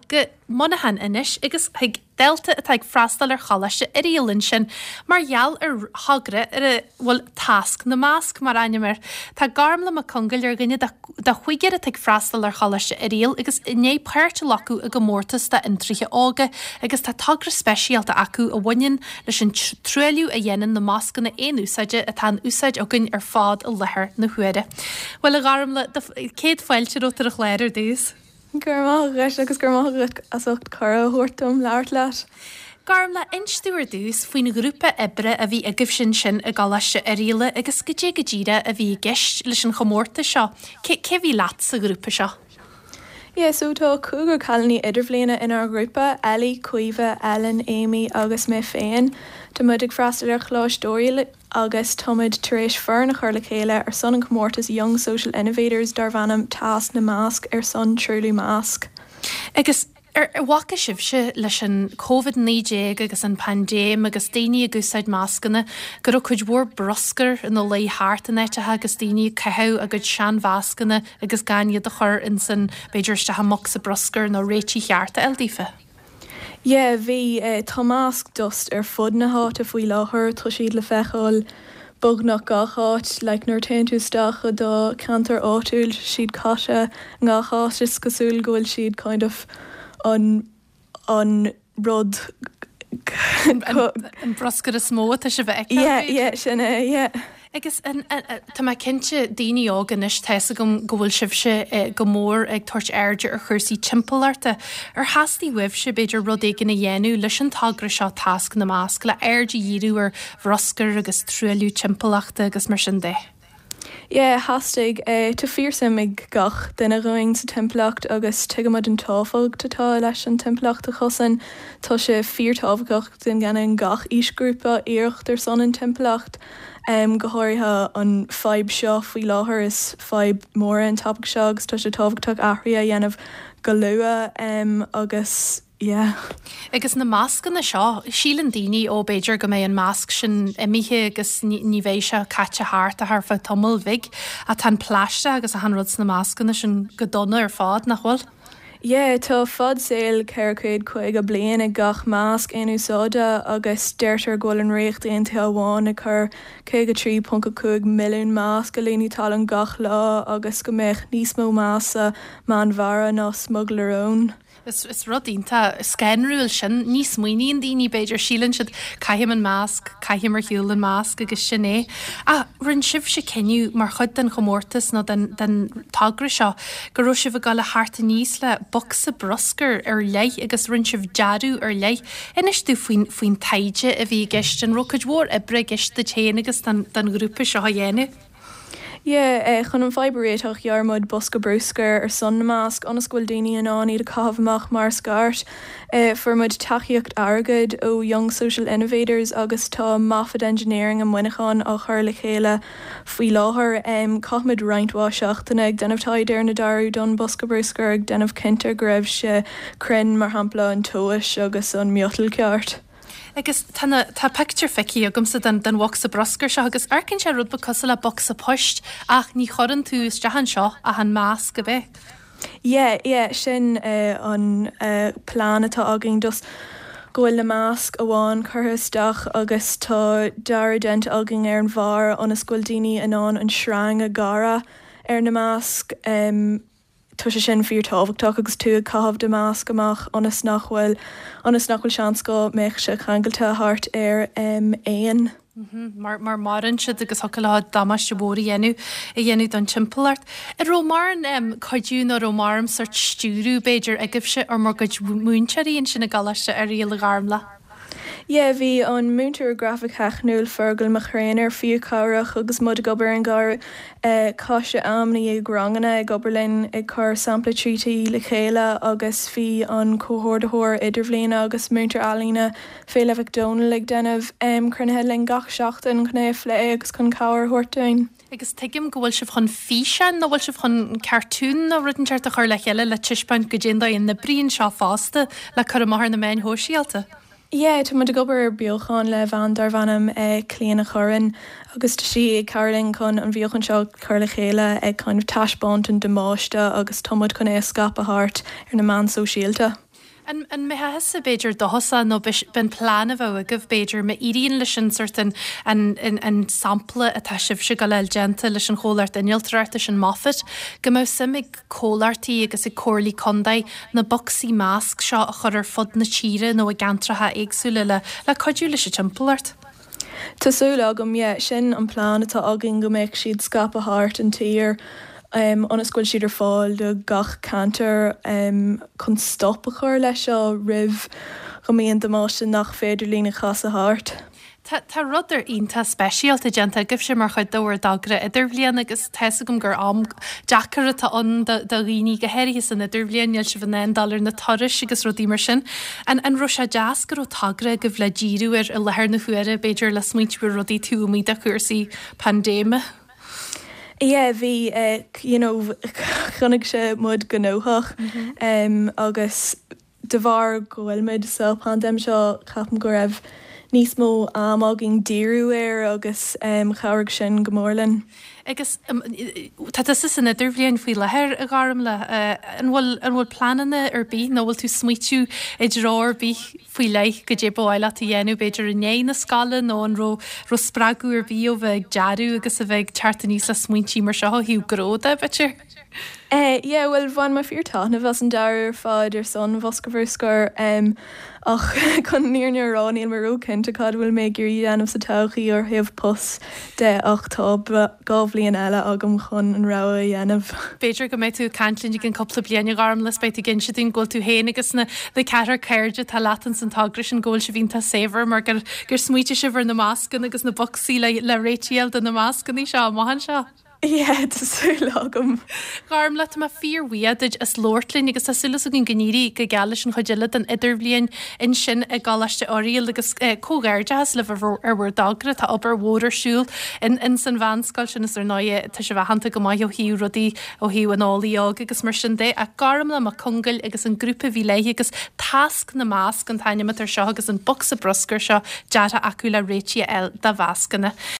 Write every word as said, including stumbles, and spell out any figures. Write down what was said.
go Muineachán anois agus chuig dalta atá ag freastal ar Choláiste Oiriall ansin mar gheall ar thogra ar a bhfuil Tasc na Masc mar ainm air. Tá Gormlaith Mac Congail ar dhuine de chúigear atá ag freastal ar Choláiste Oiriall agus i ndiaidh páirt a ghlacadh i gcomórtas d'fhiontraithe óga agus tá togra speisialta acu a bhaineann leis an truailliú a dhéanann na mascanna aon úsáide atá in úsáid againn ar fad i láthair na huaire. Bhuel a Ghormlaith, céad fáilte romhat ar an chlár ar dtús. Go raibh maith agat agus go raibh maith agat as ucht cuireadh a thabhairt dom labhairt leat. Gormlaith, inis domh ar dtús faoin ghrúpa oibre a bhí agaibhse ansin i gColáiste Oirialla agus goidé go díreach a bhí i gceist leis an chomórtas seo. Cé cé bhí leat sa ghrúpa seo? Yeah, so tá cúigear cailíní idirbhliana inár ghrúpa, Ellie, Caoimhe, Ellen, Amy agus mé féin. Tá muid ag freastal ar Choláiste Oiriall agus táimid tar éis foireann a chur le chéile ar son an comórtas Young Social Innovators darb ainm Tasc na Masc ar son truailliú masc. Agus ar bhfaca sibhse leis an Covid naoi déag agus an paindéim agus daoine ag úsáid mascanna go raibh cuid mhór bruscair ina luí thart in áiteacha agus daoine ag caitheamh a gcuid seanmhascanna agus gan iad a chur insan b'fhéidir isteach i mbocsa bruscair nó réitigh cheart a fháil daofa? Yeah, bhí eh, tá mask dust ar fud na háite faoi láthair, tá siad le feiceáil beagnach gach áit, like nuair téann tú isteach i do cheantar áitiúil siad caite ngach áit is cosúil go bhfuil siad kind of an an rud An bruscar is mó atá sibh a fheiceáil? Yeah, yeah, sin é, yeah. Agus tá mé cinnte daoine óga anois tá fhios agam go bhfuil sibhse go mór ag tabhairt airde ar chúrsaí timpeallachta. Ar theastaigh uaibhse b'fhéidir rud éigin a dhéanamh leis an togra seo Tasc na Masc le aird a dhíriú ar bhruscar agus truailliú timpeallachta agus mar sin de? Yeah, theastaigh uh, tá fíorsuim ag gach duine againn sa timpeallacht agus tuigimid an tábhacht atá leis an timpeallacht a chosaint. Tá sé fíorthábhachtach go ndéanann gach aoisghrúpa iarracht ar son an timpeallacht. Um, go háirithe an fadhb seo faoi láthair is fadhb mór an topic seo agus tá sé tábhachtach athruithe a dhéanamh go luath um, agus yeah. Agus na mascanna seo, síleann daoine ó b'fhéidir go mbeidh an masc sin imithe agus ní, ní bheidh sé caite thart ach ar feadh tamaill bhig, ach tá an plaisteach agus achan rud sna mascanna sin go dona ar fad nach bhfuil? Yeah, tá fad saoil ceithre chéad caoga bliain ag gach masc aon úsáide agus deirtear go bhfuil an Ríocht Aontaithe amháin ag cur caoga trí ponc a cúig milliún masc i líonadh talún gach lá agus go mbeadh níos mó masc sa Meánmhara ná smugairle róin. Is, is rud iontach scanrúil sin, ní smaoiníonn daoine b'fhéidir síleann siad caithim an masc, caithim ar shiúl an masc agus sin é. Ach rinne sibhse cinneadh mar chuid den chomórtas nó den, den togra seo go raibh sibh ag dul a theacht aníos le bocsa bruscair ar leith agus rinne sibh dearadh ar leith. Inis domh faoin, faoin taighde a bhí i gceist an raibh cuid mhór oibre i gceist duit féin agus don, don ghrúpa seo a dhéanamh. Yeah, eh, chun an fadhb a réiteach dhear muid bosca bruscair ar son na masc ionas go bhfuil daoine in ann iad a chaitheamh amach mar scairt. Eh, fuair muid tacaíocht airgid ó Young Social Innovators agus tá Moffat Engineering i Muineachán á chur le chéile faoi láthair. Um, Chaith muid roinnt mhaith seachtaine ag déanamh taighde ar na dearadh don bosca bruscair ag déanamh cinnte go raibh sé cruinn mar shampla an tomhas agus an miotal ceart. Agus tá na tá pictiúr feicthe agamsa den den bhocsa bruscair seo agus amharcann sé rud beag cosúil le bocsa poist ach ní chuireann tú isteach anseo ach an masc a bheith. Yeah, yeah, sin uh, an uh, plean atá againn dus go bhfuil na masc amháin curtha isteach agus tá dearadh déanta againn ar an bharr ionas go bhfuil daoine in ann an sreang a ghearradh ar na masc. Um, Tá sé sin fíorthábhachtach agus tú ag caitheamh do masc amach ionas nach bhfuil ionas nach bhfuil seans go mbeadh sé ceangailte thart ar um, éan. Mar mar maireann siad agus thiocfadh leo damáiste mhór a dhéanamh a dhéanamh don timpeallacht. An raibh mórán um, cuidiú nó raibh mórán sórt stiúradh b'fhéidir agaibhse ó bhur gcuid múinteoirí ansin i gColáiste Oiriall a Ghormlaith. Yeah, bhí an múinteoir grafaic theicniúil Fergal Mac Réanar fíorchabhrach agus muid ag obair an gar uh, chaith sé am i ndiaidh ranganna ag obair linn ag cur sampla trí T le chéile agus bhí an comhordaitheoir idirbhliana agus múinteoir ealaíne Féile Mhic Dónaill ag déanamh um, cruinnithe linn gach seachtain chun é a phlé agus chun cabhair a thabhairt dúinn. Agus tuigim go bhfuil sibh chun físeán nó bhfuil sibh chun cartún nó rud inteacht a chur le chéile le taispeáint goidé an dóigh a n-oibríonn seo fosta le cur amach ar na meáin shóisialta. Yeah, tá muid ag obair ar beochan le bean darb ainm eh, Clíona Chorin agus tá sí ag cabhrú linn chun an bheochan seo chur le chéile ag kind of taispeáint an damáiste agus tá muid chun é a scaipeadh thart ar na meáin sóisialta. An mbeadh thusa b'fhéidir dóchasach nó b'in plean a bheadh agaibh b'fhéidir má éiríonn leis an sort an an sampla atá sibhse ag dul a fháil déanta leis an chomhlacht innealtóireachta sin Moffat, go mbeadh suim ag comhlachtaí agus ag comhairlí contae na bocsaí masc seo a chur ar fud na tíre nó i gceantracha éagsúla le le cuidiú leis an timpeallacht? Tá súil agam, yeah, sin an plean atá againn go mbeadh siad scaipthe thart an tír ionas go bhfuil siad ar fáil do gach ceantar chun stop a chur leis seo roimh go mbíonn damáiste nach féidir linn a chasadh thart. Tá tá rud ar iontach speisialta déanta agaibhse mar chuid de bhur dtogra idirbhliana agus tá fhios agam gur am deacair atá ann do do dhaoine go háirithe san idirbhliain, níl sibh in ann dul ar na turais agus rudaí mar sin. An an raibh sé deas go raibh togra agaibh le díriú air i láthair na huaire, b'fhéidir le smaointiú ar rudaí taobh amuigh de chúrsaí paindéime? Yeah, bhí you know choinnigh sé muid gnóthach agus de bharr go bhfuil muid sa paindéim seo ceapaim go raibh níos mó am againn díriú air agus chabhraigh sin go mór linn. Agus tá tusa san idirbhliain faoi láthair, a Ghormfhlaith, an bhfuil an bhfuil pleananna ar bith nó bhfuil tú smaoitiú i dtreo ar bith faoi leith goidé ba mhaith leat a dhéanamh b'fhéidir i ndiaidh na scoile nó an raibh raibh spreagadh ar bith ó bheith ag dearadh agus a bheith ag teacht aníos le smaointí mar seo ó thaobh gnó de, b'fhéidir? Eh yeah bhuel bhain mé fíor taitneamh as an dearadh ar fad ar son Bhosca Bhruscair um, ach chun an fhírinne a rá níl mé ró-chinnte cad bhfuil mé ag iarraidh déanamh sa todhchaí ó thaobh post de ach tá dhá bhliain eile agam chun an rogha a dhéanamh. B'fhéidir go mbeidh tú ag caint linn i gceann cúpla bliain a Ghormfhlaith is beidh tú ag inse dúinn go bhfuil tú féin agus na na ceathrar cairde atá leat ins an togra sin go bhfuil sibh iontach saibhir mar gur gur smaoitigh sibh ar na mascanna agus na bocsaí le le réiteach a fháil do na mascanna seo amach anseo. Yeah, tá súil agam. Gormfhlaith, tá mé fíorbhuíoch duit as labhairt linn agus tá súil againn go n-éirí go geal leis an chuid eile den idirbhliain ansin i gColáiste Oiriall agus comhghairdeachas libh ar bhur dtogra. Tá obair mhór ar siúl in in san mheánscoil sin is ar ndóigh tá sibh aitheanta go maith ó thaobh rudaí ó thaobh an eolaí óg agus mar sin de. Ach Gormfhlaith Mac Congáil agus an grúpa a bhí léi agus Tasc na Masc an t-ainm atá air seo agus an bocsa bruscair seo deartha acu le réitigh a fháil do mhascanna.